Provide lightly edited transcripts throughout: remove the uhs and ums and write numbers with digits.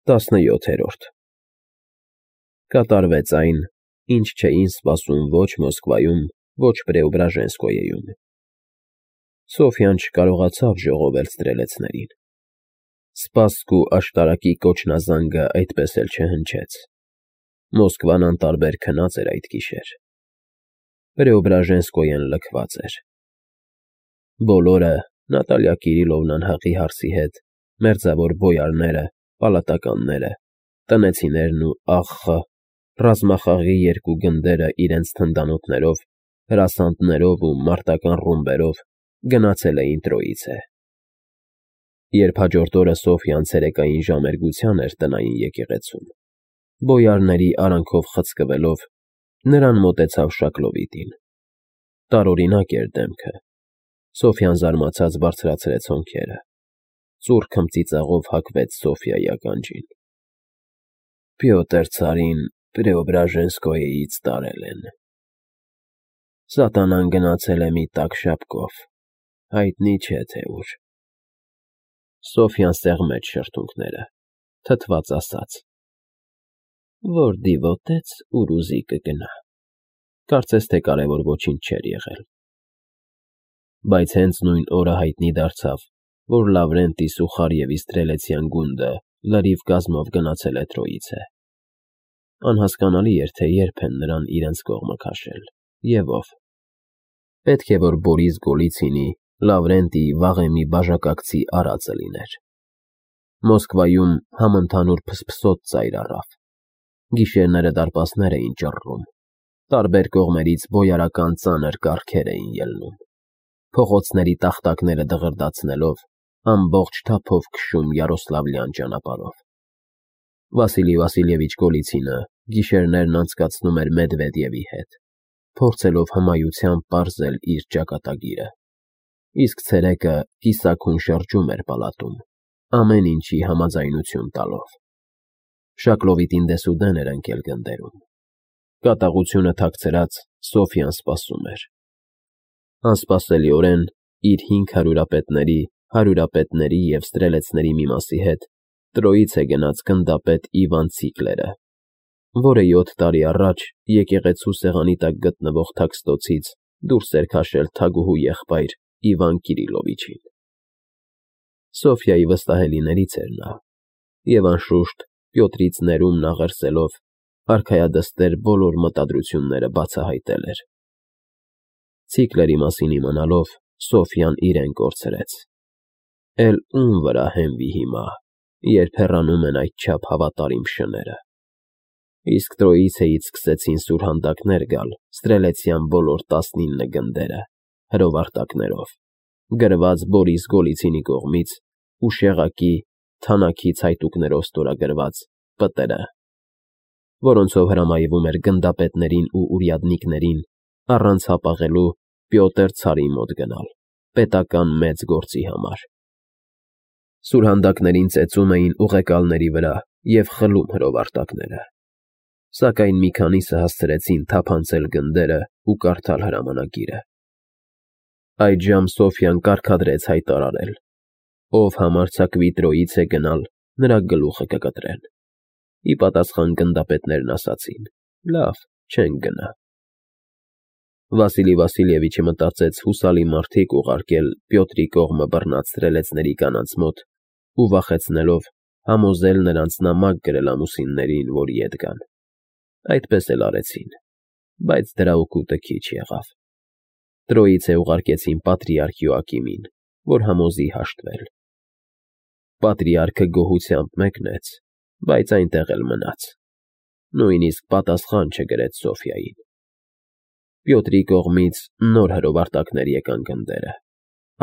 17-րդ Կատարվեց այն, ինչ չէին սպասում ոչ Մոսկվայում, ոչ Պրեոբրաժենսկոյեում։ Սոֆյան չկարողացավ ժողովել ստրելեցներին։ Սպասք ու աշտարակի կոչնազանգը այդպես էլ չհնչեց։ Մոսկվան անտարբեր քնած էր այդ գիշեր։ Պրեոբրաժենսկոյեն լքված էր։ Բոլորը, Նատալիա Կիրիլովնան հղի հարսի հետ, մերձավոր բոյարները, պալատականները, տնեցիներն ու աղ. ռազմախաղի երկու գնդերը իրենց թնդանոթներով, հրասաններով ու մարտական ռումբերով գնացել էին Տրոիցե։ Երբ հաջորդ օրը Սոֆյան ցերեկային ժամերգության էր տնային եկեղեցում, բոյարների արանքով խցկվելով, նրան մոտեցավ Շակլովիտին։ Տարօրինակ էր դեմքը։ Սոֆյան զարմացած բարձրացրեց հոնքերը։ Ծուռ քմծիծաղով հագվեց Սոֆյայի ականջին։ Պյոտր ցարին Պրեոբրաժենսկոյեից տարել են։ Սատանան գնացել է մի տաք շապկով, հայտնի չէ թե ուր։ Սոֆյան սեղմեց շրթունքները, թթված ասաց. Որ դիվոտեց, ուր ուզի կգնա։ Կարծես թե կարևոր ոչինչ չէր եղել։ Բայց հենց նույն օրը հայտնի դարձավ, որ Լավրենտի Սուխարիևի ստրելեցյան գունդը լրիվ կազմով գնացել է Տրոիցե։ Անհասկանալի էր, թե երբ են նրան իրենց կողմը քաշել, և ով։ Պետք է, որ Բորիս Գոլիցինի, Լավրենտիի վաղեմի բաժակակցի արածը լիներ։ Մոսկվայում համընդհանուր փսփսոտ ծայր առավ։ Գիշերները դարպասներ էին ճռռում, տարբեր կողմերից բոյարական ծանր կառքեր էին ելնում, փողոցների տախտակները դղրդացնելով, ամբողջ թափով քշում Յարոսլավլյան ճանապարհով։ Վասիլի Վասիլևիչ Գոլիցինը գիշերներն անցկացնում էր Մեդվեդևի հետ, փորձելով հմայությամբ պարզել իր ճակատագիրը, իսկ ցերեկը կիսաքուն շրջում էր պալատում, ամեն ինչի համաձայնություն տալով։ Շակլովիտին դեսուդեն էր ընկել գնդերում։ Կատաղությունը թաքցրած Սոֆյան սպասում էր։ Անսպասելիորեն իր 5 հարյուրապետների և ստրելեցների մի մասի հետ Տրոիցե գնաց գնդապետ Իվան Ցիկլերը, որը 7 տարի առաջ եկեղեցու սեղանի տակ գտնվող թաքստոցից դուրս էր քաշել թագուհու եղբայր Իվան Կիրիլովիչին։ Սոֆյայի վստահելիներից էր նա, և անշուշտ Պյոտրից ներումն աղերսելով, արքայադստեր բոլոր մտադրությունները բացահայտել էր։ Ցիկլերի մասին իմանալով, Սոֆյան իրեն կորցրեց։ Էլ ում վրա հենվի հիմա, երբ հեռանում են այդչափ հավատարիմ շները։ Իսկ Տրոիցեից սկսեցին սուրհանդակներ գալ ստրելեցյան բոլոր 19 գնդերը, հրովարտակներով, գրված Բորիս Գոլիցինի կողմից ու շեղակի, թանաքի ցայտուկներով ստորագրված պտերը, որոնցով հրամայվում էր գնդապետներին ու ուրյադնիկներին առանց հապաղելու Պյոտր ցարի մոտ գնալ, պետական մեծ գործի համար։ Սուրհանդակներին ծեծում էին ուղեկալների վրա և խլում հրովարտակները, սակայն մի քանիսը հասցրեցին թափանցել գնդերը ու կարդալ հրամանագիրը։ Այդժամ Սոֆյան կարգադրեց հայտարարել. ով համարձակվի Տրոիցե գնալ, նրա գլուխը կկտրեն։ Ի պատասխան գնդապետներն ասացին. լավ, չենք գնա։ Վասիլի Վասիլևիչը մտածեց հուսալի մարդիկ ուղարկել Պյոտրի կողմը բռնած ստրելեցների կանանց մոտ ու վախեցնելով համոզել նրանց նամակ գրել ամուսիններին, որ ետ գան։ Այդպես էլ արեցին, բայց դրա օգուտը քիչ եղավ։ Տրոիցե ուղարկեցին պատրիարք Յոակիմին, որ համոզի հաշտվել։ Պատրիարքը գոհությամբ մեկնեց, բայց այնտեղ էլ մնաց։ Նույնիսկ պատասխան չգրեց Սոֆյային։ Պյոտրի կողմից նոր հրովարտակներ եկան գնդերը,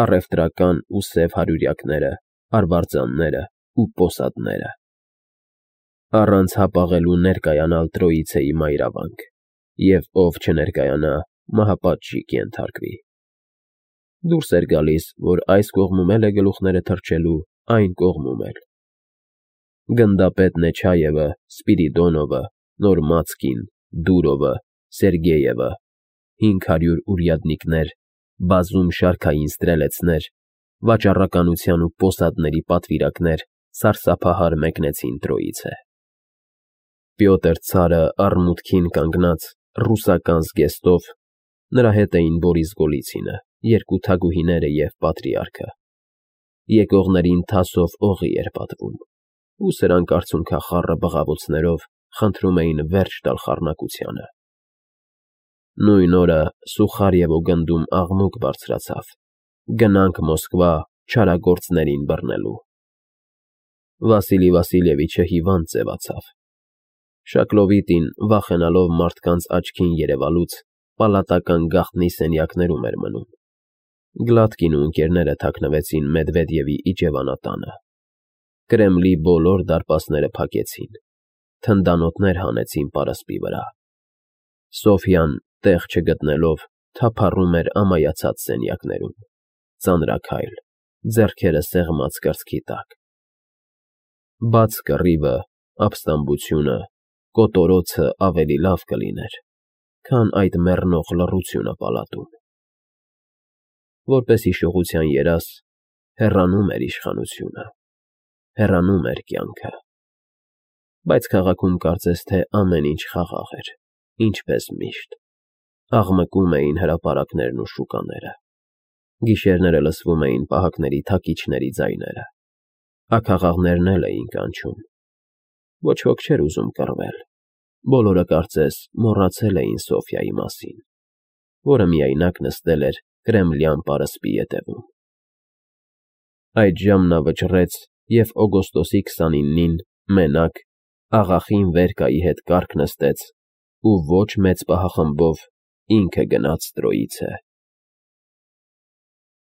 առևտրական ու սև հարյուրյակները, արվարձանները ու պոսատները։ Առանց հապաղելու ներկայանալ Տրոիցեի մայրավանք, և ով չներկայանա, մահապատժի կենթարկվի։ Դուրս էր գալիս, որ այս կողմում էլ է գլուխները թռչելու, այն կողմում էլ։ Գնդապետ Նեչայևը, Սպիրիդոնովը, Նորմացկին, Դուրովը, Սերգեյևը, 500 ուրյադնիկներ, բազում շարքային ստրելեցներ, վաճառականության ու պոսատների պատվիրակներ սարսափահար մեկնեցին Տրոյիցե։ Պյոտր ցարը առմուտքին կանգնած ռուսական զգեստով, նրա հետ էին Բորիս Գոլիցինը, երկու թագուհիները և պատրիարքը։ Եկողներին թասով օղի էր պատվում, ու սրանք արցունքախառը բղավոցներով խնդրում էին վերջ տալ խառնակությանը։ Նույն օրը Սուխարևո գնդում աղմուկ բարձրացավ. «Գնանք Մոսկվա չարագործներին բռնելու»։ Վասիլի Վասիլևիչը հիվանդ ձևացավ։ Շակլովիտին, վախենալով մարդկանց աչքին երևալուց, պալատական գաղտնի սենյակներում էր մնում։ Գլատկին ու ընկերները թաքնվեցին Մեդվեդևի իջևանատանը։ Կրեմլի բոլոր դարպասները փակեցին, թնդանոթներ հանեցին պարսպի վրա։ Սոֆյան, տեղ չգտնելով, թափառում էր ամայացած սենյակներում, ծանրաքայլ, ձեռքերը սեղմած կրծքի տակ։ Բաց կռիվը, ապստամբությունը, կոտորոցը ավելի լավ կլիներ, քան այդ մեռնող լռությունը պալատում։ Որպես հիշողության երազ, հեռանում էր իշխանությունը, հեռանում էր կյանքը։ Բայց քաղաքում կարծես թե ամեն ինչ խաղաղ էր, ինչպես միշտ։ Աղմկում էին հրապարակներն ու շուկաները։ Գիշերները լսվում էին պահակների թակիչների ձայները։ Աքաղաղներն էլ էին կանչում։ Ոչ ոք չէր ուզում կռվել։ Բոլորը կարծես մոռացել էին Սոֆյայի մասին, որը միայնակ նստել էր կրեմլյան պարսպի ետևում։ Այդժամ նա վճռեց և օգոստոսի 29-ին, մենակ, աղախին Վերկայի հետ կառք նստեց ու ոչ մեծ պահախմբով ինքը գնաց Տրոյիցե։